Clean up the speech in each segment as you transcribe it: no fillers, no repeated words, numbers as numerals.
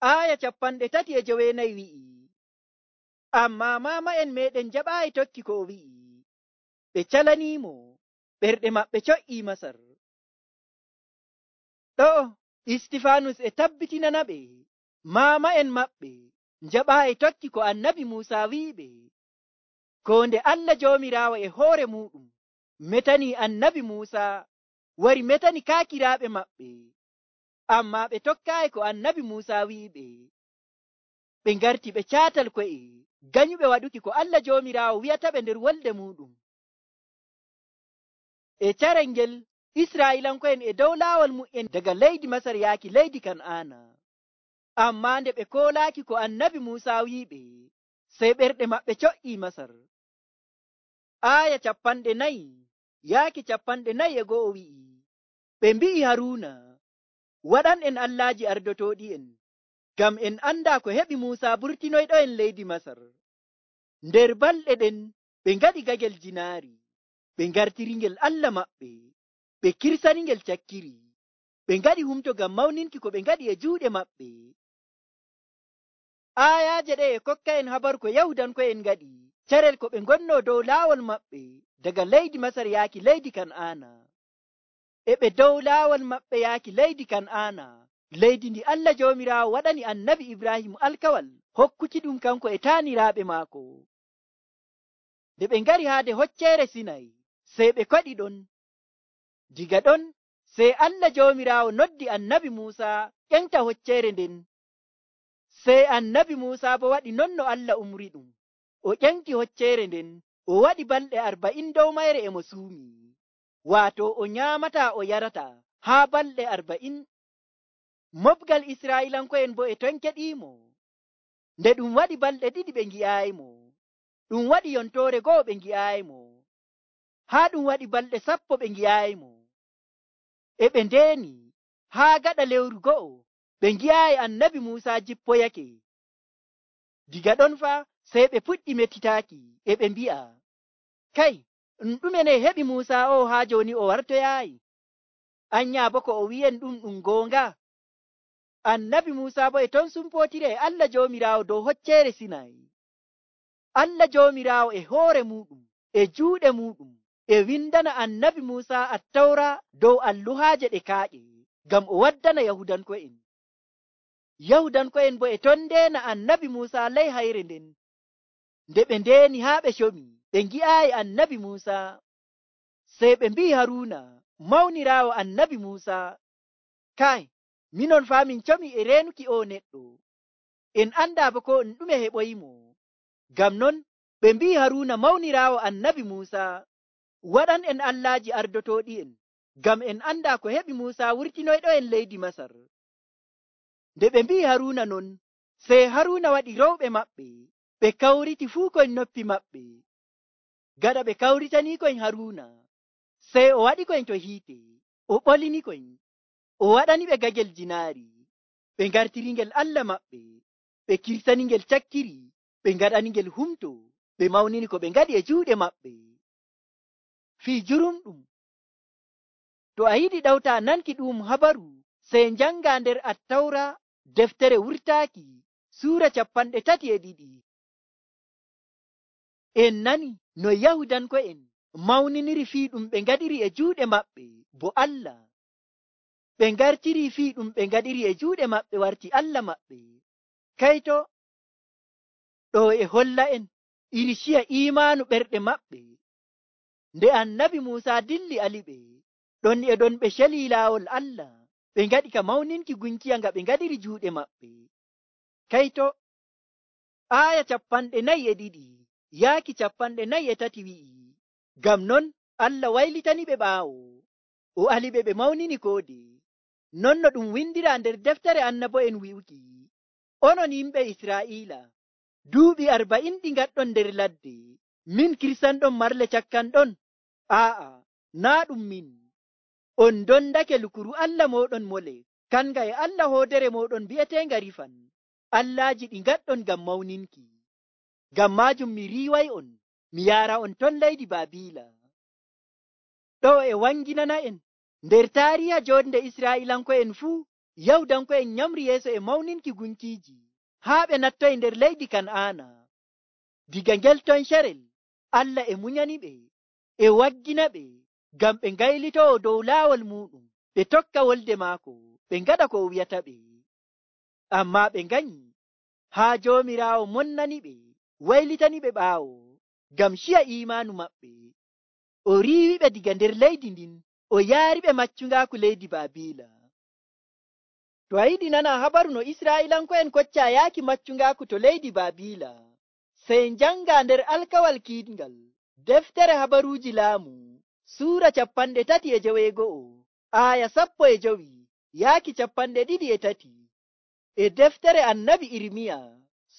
Aya 34 wi'i, ammaa maama'en meɗen jaɓaayi tokki ko o wi'i, ɓe calaniimo, ɓerɗe maɓɓe co'ii Masar. Ɗo Istifanus e tabbitinana ɓe maama'en maɓɓe jaɓaayi tokki ko annabi Muusa wi'iɓe, ko nde Allah Joomiraawo e hoore muɗum metani annabi Muusa wari metani kaakiraaɓe maɓɓe, ammaa ɓe tokkaayi ko annabi Muusa wi'iɓe. Ɓe ngarti ɓe caatal ko'e ganyuɓe waɗuki ko Allah Joomiraawo wi'ataɓe nder wolde muɗum. E carel ngel Israa'iilanko'en e dow laawol mu'en daga leydi Masar yaaki leydi Kan'aana. Ammaa nde ɓe koolaaki ko annabi Muusa wi'iɓe, sey ɓerɗe maɓɓe co'ii Masar. Aya 40 yaaki 41 wi'i, ɓe mbi'i Haruuna, waɗan en allaaji ardotooɗi'en, ngam en andaa ko heɓi Muusa burtinoyɗo'en leydi Masar. Nder balɗe ɗen ɓe ngaɗi gagel jinaari, ɓe ngartiringel Allah maɓɓe, ɓe kirsaningel cakkiri, ɓe ngaɗi humto ngam mawninki ko ɓe ngaɗi e juuɗe maɓɓe. Ayaaje ɗe e kokka en habaru ko Yahudanko'en ngaɗi carel ko ɓe ngonnoo dow laawol maɓɓe daga leydi Masar yaaki leydi Kan'aana. E ɓe dow laawol maɓɓe yaaki leydi Kan'aana, leydi ndi Allah Joomiraawo waɗani annabi Ibrahim alkawal hokkuki ɗum kanko e taaniraaɓe maako. Nde ɓe ngari haade hocceere Sinay, sey ɓe koɗi ɗon. Diga ɗon sey Allah Joomiraawo noddi annabi Muusa ƴenta hocceere nden. Sey annabi Muusa bo waɗi non no Allah umri ɗum, o ƴenti hocceere nden, o waɗi balɗe 40 dow mayre e mo suumi, waato o nyaamataa o yarataa haa balɗe 40. Mofgal Israa'iilanko'en bo e ton keɗiimo. Nde ɗum waɗi balɗe 2 ɓe ngi'aayimo, ɗum waɗi yontoore 1 ɓe ngi'aayimo, haa ɗum waɗi balɗe 10 ɓe ngi'aayimo. E ɓe ndeeni haa gaɗa lewru 1 ɓe ngi'aayi annabi Muusa jippoyake. Diga ɗon fa sey ɓe puɗɗi metitaaki e ɓe mbi'a, kay, ɗume ne heɓi Muusa o haa jooni o wartoyaayi? Anyaa bo ko o wi'en ɗum goonga? Annabi Muusa bo e ton sumpootiri e Allah Joomiraawo dow hocceere Sinay. Allah Joomiraawo e hoore muɗum e juuɗe muɗum e windana annabi Muusa Attawra dow alluhaaje ɗe kaaƴe ngam o waddana Yahudanko'en. Yahudanko'en bo e ton ndeena annabi Muusa ley hayre nden. Nde ɓe ndeeni haa ɓe comi, ɓe ngi'aayi annabi Muusa. Sey ɓe mbi'i Haruuna, mawniraawo annabi Muusa, kay, minon faa min comi e reenuki o neɗɗo, en anndaa bo ko ɗume heɓoyimo. Ngam non ɓe mbi'i Haruuna mawniraawo annabi Muusa, waɗan en allaaji ardotooɗi'en, ngam en anndaa ko heɓi Muusa wurtinoyɗo'en leydi Masar. Nde ɓe mbi'i Haruuna non, sey Haruuna waɗi rowɓe maɓɓe, ɓe kawriti fuu koyn noppi maɓɓe. Gaɗa ɓe kawritanii koyn Haruuna, sey o waɗi koyn to hiite, o ɓolini koyn, o waɗani ɓe gagel jinaari, ɓe ngartiringel Allah maɓɓe, ɓe kirsaningel cakkiri, ɓe ngaɗaningel humto, ɓe mawnini ko ɓe ngaɗi e juuɗe maɓɓe. Fii jurumɗum, to a yiɗi ɗawta nanki ɗum habaru, sey njanga nder Attawra deftere wurtaaki suura 32. En nani no Yahudanko'en mawniniri fii ɗum ɓe ngaɗiri e juuɗe maɓɓe bo Allah. Ɓe ngartiri fii ɗum ɓe ngaɗiri e juuɗe maɓɓe warti Allah maɓɓe. Kayto ɗo e holla en iri ciya imaanu ɓerɗe maɓɓe. Nde annabi Muusa dilli aliɓe, ɗon e ɗon ɓe celi laawol Allah, ɓe ngaɗi ka mawninki gunkiya nga ɓe ngaɗiri juuɗe maɓɓe. Kayto aya 42 yaaki 43 wi'i, ngam non Allah waylitani ɓe ɓaawo, o aliɓe ɓe mawnini koode, non no ɗum windira nder deftere annabo'en wi'uki, onon yimɓe Israa'iila, duuɓi 40 ɗi ngaɗɗon nder ladde, min kirsanɗon marle cakkanɗon? Aa'a, naa ɗum min. On dondake lukuru Allah moɗon Molek, kanga e Allah hoodere moɗon bi'eteenga Rifan, allaaji ɗi ngaɗɗon ngam mawninki. Ngam maajum mi riiway on, mi yaara on ton leydi Baabiila. Ɗo e wanginana en nder taariha jonde Israa'iilanko'en fuu, Yahudanko'en nyamri yeeso e mawninki gunkiiji haa ɓe nattoyi nder leydi Kan'aana. Diga ngel ton carel Allah e munyaniɓe e waggina ɓe ngam ɓe ngaylitowo dow laawol muɗum, ɓe tokka wolde maako, ɓe ngaɗa ko o wi'ata ɓe. Ammaa ɓe nganyi haa Joomiraawo monnaniɓe, waylitaniɓe ɓaawo ngam ciya iimaanu maɓɓe. O riiwiɓe diga nder leydi ndin, o yaariɓe maccungaaku leydi Baabiila. To a yiɗi nana habaru no Israa'iilanko'en koccaa yaaki maccungaaku to leydi Baabiila, sey njanga nder alkawal kiiɗngal deftere habaruuji laamu suura 31 aaya 15 yaaki 23 e deftere annabi Irmiya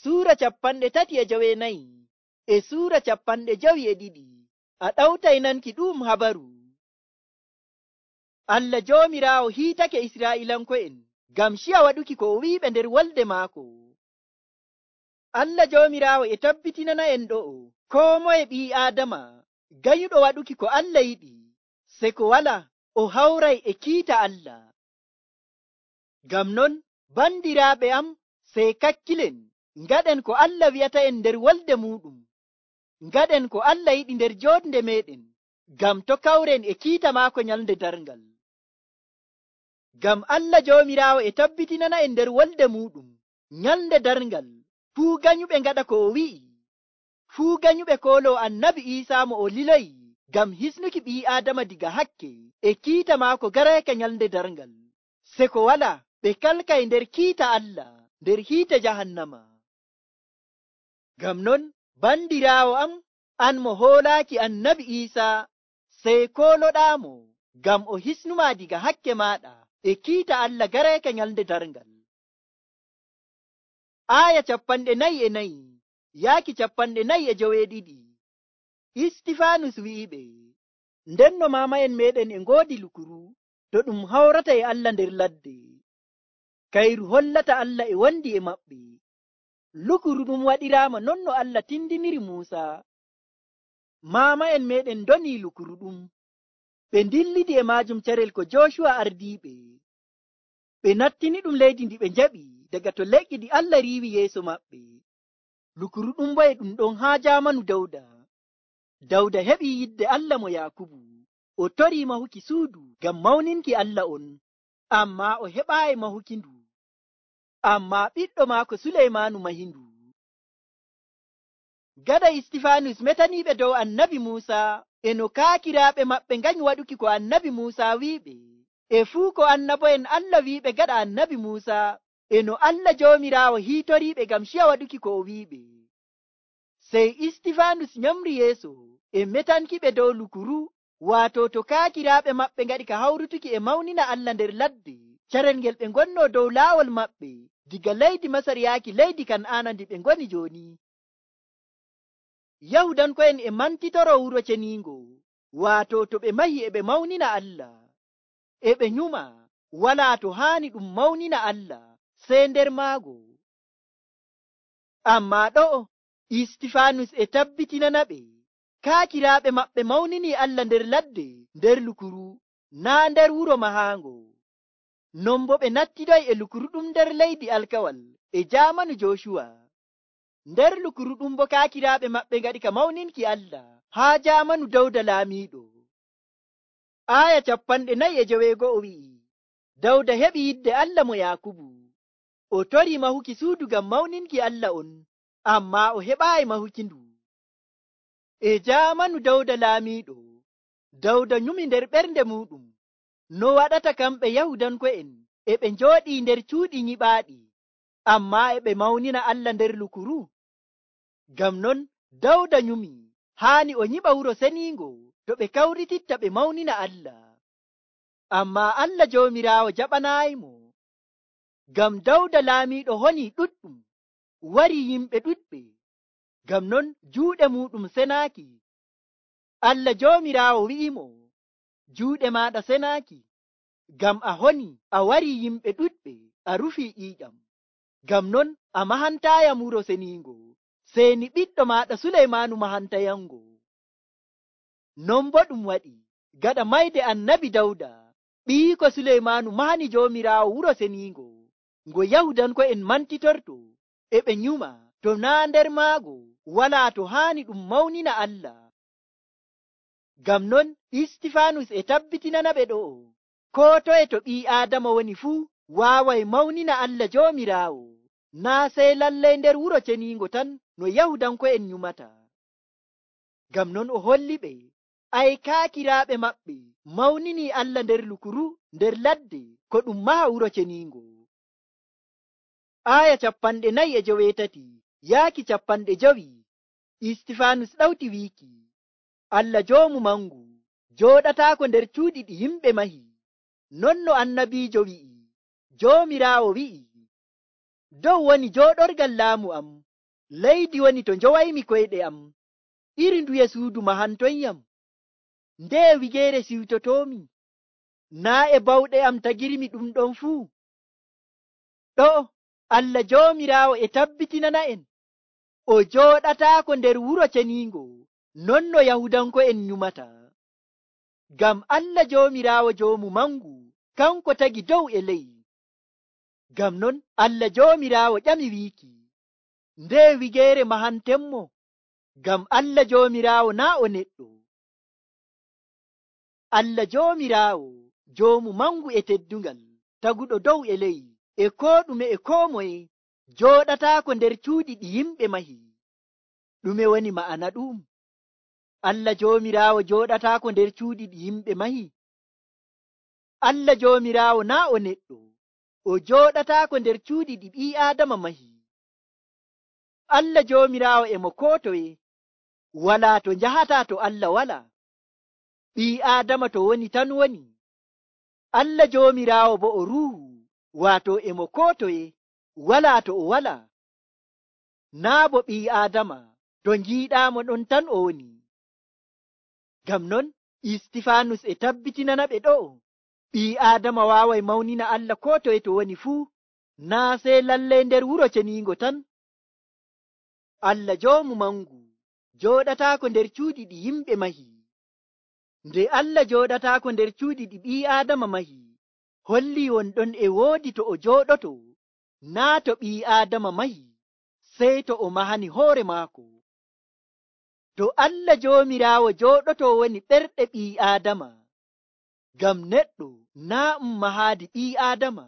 suura 34 e suura 52 a ɗawtay nanki ɗum habaru. Allah Joomiraawo hiitake Israa'iilanko'en ngam ciya waɗuki ko o wi'iɓe nder wolde maako. Allah Joomiraawo e tabbitinana en ɗo'o koo moye ɓii Aadama gayuɗo waɗuki ko Allah yiɗi, se ko wala o hawray e kiita Allah. Ngam non, bandiraaɓe am, sey kakkilen ngaɗen ko Allah wi'ata en nder wolde muɗum. Ngaɗen ko Allah yiɗi nder joonde meɗen, ngam to kawren e kiita maako nyalnde darngal. Ngam Allah Joomiraawo e tabbitinana en nder wolde muɗum nyalnde darngal, fuu ganyuɓe ngaɗa ko o wi'i, fuu ganyuɓe kooloo annabi Iisaa mo o liloyi ngam hisnuki ɓii Aadama diga hakke e kiita maako garayka nyalnde darngal, se ko wala ɓe kalkay nder kiita Allah nder hiite jahannama. Ngam non, bandiraawo am, an mo hoolaaki annabi Iisaa, sey kooloɗaamo ngam o hisnuma diga hakke maaɗa e kiita Allah garayka nyalnde darngal. Aaya 44 yaaki 45. Istifaanus wi'iɓe, ndenno maama'en meɗen e ngoodi lukuru to ɗum hawrata e Allah nder ladde. Kayru hollata Allah e wondi e maɓɓe. Lukuru ɗum waɗiraama non no Allah tindiniri Muusa. Maama'en meɗen ndonii lukuru ɗum, ɓe ndillidi e maajum carel ko Jooshuwa ardiiɓe. Ɓe nattini ɗum leydi ndi ɓe njaɓi daga to leƴƴi ɗi Allah riiwi yeeso maɓɓe. Lukuru ɗum bo e ɗum ɗon haa jaamanu Dawda. Dawda heɓi yidde Allah mo Yaakubu, o torii mahuki suudu ngam mawninki Allah on, ammaa o heɓaayi mahuki ndu. Ammaa ɓiɗɗo maako Suleymaanu mahi ndu. Gada Istifaanus metaniiɓe dow annabi Muusa e no kaakiraaɓe maɓɓe nganyi waɗuki ko annabi Muusa wi'iɓe, e fuu ko annabo'en Allah wi'iɓe gaɗa annabi Muusa, e no Allah Joomiraawo hiitoriiɓe ngam ciya waɗuki ko o wi'iɓe. Sey Istifaanus nyamri yeeso e metankiɓe dow lukuru, waato to kaakiraaɓe maɓɓe ngaɗi ka hawrutuki e mawnina Allah nder ladde, carel ngel ɓe ngonnoo dow laawol maɓɓe diga leydi Masar yaaki leydi Kan'aana ndi ɓe ngoni jooni. Yahudanko'en e mantitoro wuro ceniingo, waato to ɓe mahi e ɓe mawnina Allah, e ɓe nyuma walaa to haani ɗum mawnina Allah sey nder maago. Ammaa ɗo'o Istifaanus e tabbitinana ɓe kaakiraaɓe maɓɓe mawnini Allah nder ladde nder lukuru, naa nder wuro mahaango. Non bo ɓe nattidoy e lukuru ɗum nder leydi alkawal e jaamanu Jooshuwa. Nder lukuru ɗum bo kaakiraaɓe maɓɓe ngaɗi ka mawninki Allah haa jaamanu Dawda laamiiɗo. Aaya 45 wi'i, Dawda heɓi yidde Allah mo Yaakubu. O torii mahuki suudu ngam mawninki Allah on, ammaa o heɓaayi mahuki ndu. E jaamanu Dawda laamiiɗo, Dawda nyumi nder ɓernde muɗum no waɗata kamɓe Yahudanko'en e ɓe njooɗii nder cuuɗi nyiɓaaɗi, ammaa e ɓe mawnina Allah nder lukuru. Ngam non Dawda nyumi haani o nyiɓa wuro seniingo to ɓe kawrititta ɓe mawnina Allah. Ammaa Allah Joomiraawo jaɓanaayimo. Ngam Dawda laamiiɗo honii ɗuɗɗum, wari yimɓe ɗuɗɓe, ngam non juuɗe muɗum senaaki. Allah Joomiraawo wi'imo, juuɗe maaɗa senaaki, ngam a honi a wari yimɓe ɗuɗɓe a rufii ƴiiƴam. Ngam non a mahantaayam wuro seniingo, sey ni ɓiɗɗo maaɗa Suleymaanu mahantayango. 'yango. 'Non bo ɗum waɗi gaɗa mayde annabi Dawda, Allah Joomiraawo heɓi yidde Allah mo Yaakubu. O torii mahuki suudu ngam mawninki Allah on, ammaa o heɓaayi mahuki ndu. E jaamanu Dawda laamiiɗo, Dawda nyumi nder ɓernde muɗum no waɗata kamɓe Yahudanko'en e ɓe njooɗii nder cuuɗi nyiɓaaɗi, ammaa e ɓe mawnina Allah nder lukuru. Ngam non Dawda nyumi haani o nyiɓa wuro seniingo to ɓe kawrititta ɓe mawnina Allah. Ammaa Allah Joomiraawo jaɓanaayimo. Ngam Dawda laamiiɗo honii ɗuɗɗum, wari yimɓe ɗuɗɓe, ngam non juuɗe muɗum senaaki. Allah Joomiraawo wi'imo, juuɗe maaɗa senaaki, ngam a honi a wari yimɓe ɗuɗɓe a rufii ƴiiƴam. Ngam non a mahantaayam wuro seniingo, sey ni ɓiɗɗo maaɗa Suleymaanu mahantayango. ɓiiko Suleymaanu mahani Joomiraawo wuro seniingo ngo Yahudanko'en mantitorto e ɓe nyuma to naa nder maago walaa to haani ɗum mawnina Allah. Ngam non Istifaanus e tabbitinana ɓe ɗo'o koo toye to ɓii Aadama woni fuu waaway mawnina Allah Joomiraawo, naa sey lallay nder wuro ceniingo tan no Yahudanko'en nyumata. Ngam non o holli ɓe aykaakiraaɓe maɓɓe mawninii Allah nder lukuru nder ladde ko ɗum maha wuro ceniingo. Aya 49 yaaki 50. Istifaanus ɗawti wiiki, Allah joomu mangu jooɗataako nder cuuɗi ɗi yimɓe mahi. Non no annabiijo wi'i, Joomiraawo wi'i, dow woni jooɗorgal laamu am, leydi woni to njowaymi koyɗe am. Iri nduye suudu mahantonyam? Nde wigeere siwtotoomi? Naa e bawɗe am tagirmi ɗum ɗon fuu? Ɗo Allah Joomiraawo e tabbitinana'en o jooɗataako nder wuro ceniingo non no Yahudanko'en nyumata. Ngam Allah Joomiraawo joomu mangu kanko tagi dow e ley. Ngam non Allah Joomiraawo ƴami wiiki, nde wigeere mahantenmo? Ngam Allah Joomiraawo naa o neɗɗo. Allah Joomiraawo joomu mangu e teddungal taguɗo dow e ley e koo ɗume e koo moye jooɗataako nder cuuɗi ɗi yimɓe mahi. Ɗume woni ma'ana ɗum? Allah Joomiraawo jooɗataako nder cuuɗi ɗi yimɓe mahi? Allah Joomiraawo naa o neɗɗo, o jooɗataako nder cuuɗi ɗi ɓii Aadama mahi. Allah Joomiraawo e mo koo toye, walaa to njahataa to Allah walaa. Ɓii Aadama to woni tan woni. Allah Joomiraawo bo o ruuhu, waato e mo koo toye, walaa to o walaa. Naa bo ɓii Aadama to njiiɗaamo ɗon tan o woni. Ngam non Istifaanus e tabbitinana ɓe ɗo'o ɓii Aadama waaway mawnina Allah koo toye to woni fuu, naa sey lallay nder wuro ceniingo tan. Allah joomu mangu jooɗataako nder cuuɗi ɗi yimɓe mahi. Nde Allah jooɗataako nder cuuɗi ɗi ɓii Aadama mahi, holli wonɗon e woodi to o jooɗoto, naa to ɓii Aadama mahi, sey to o mahani hoore maako. To Allah Joomiraawo jooɗoto woni ɓerɗe ɓii Aadama, ngam neɗɗo naa mahaadi ɓii Aadama,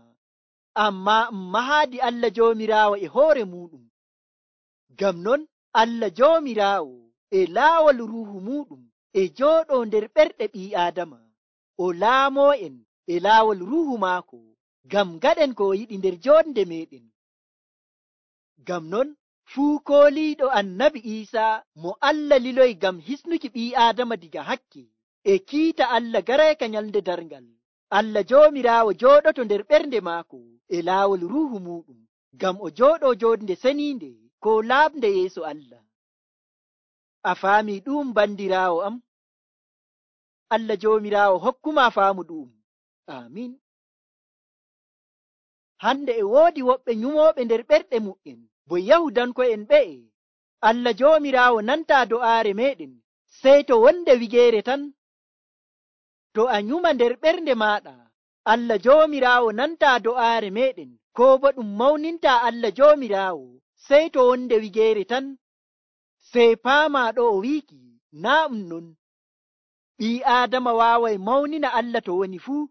ammaa mahaadi Allah Joomiraawo e hoore muuɗum. Ngam non Allah Joomiraawo e laawol ruuhu muuɗum e jooɗoo nder ɓerɗe ɓii Aadama, o laamo'en e laawol ruuhu maako ngam gaɗen ko o yiɗi nder joonde meeɗen. Ngam non fuu kooliiɗo annabi Iisaa mo Allah liloyi ngam hisnuki ɓii Aadama diga hakke e kiita Allah garayka nyalnde darngal, Allah Joomiraawo jooɗoto nder ɓernde maako e laawol ruuhu muuɗum ngam o jooɗoo joonde seniinde ko laaɓnde yeeso Allah. A faamii ɗum bandiraawo am? Allah Joomiraawo hokkuma faamu ɗum. Amin. Hande e woodi woɓɓe nyumooɓe nder ɓerɗe mu'en bo Yahudanko'en ɓe'e. Allah Joomiraawo nantaa do'aare meeɗen sey to wonde wigeere tan. To a nyuma nder ɓernde maaɗa, Allah Joomiraawo nantaa do'aare meeɗen, koo bo ɗum mawnintaa Allah Joomiraawo sey to wonde wigeere tan. Sey paamaa ɗo o wiiki, naa non. Ɓii Aadama waaway mawnina Allah to woni fuu.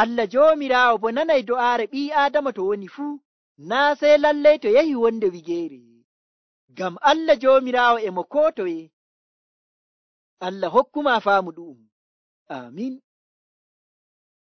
Allah Joomiraawo bo nanay do'aare ɓii Aadama to woni fuu, naa sey lallay to yahi wonde wigeere. Ngam Allah Joomiraawo e mo koo toye. Allah hokkuma faamu ɗum. Amin.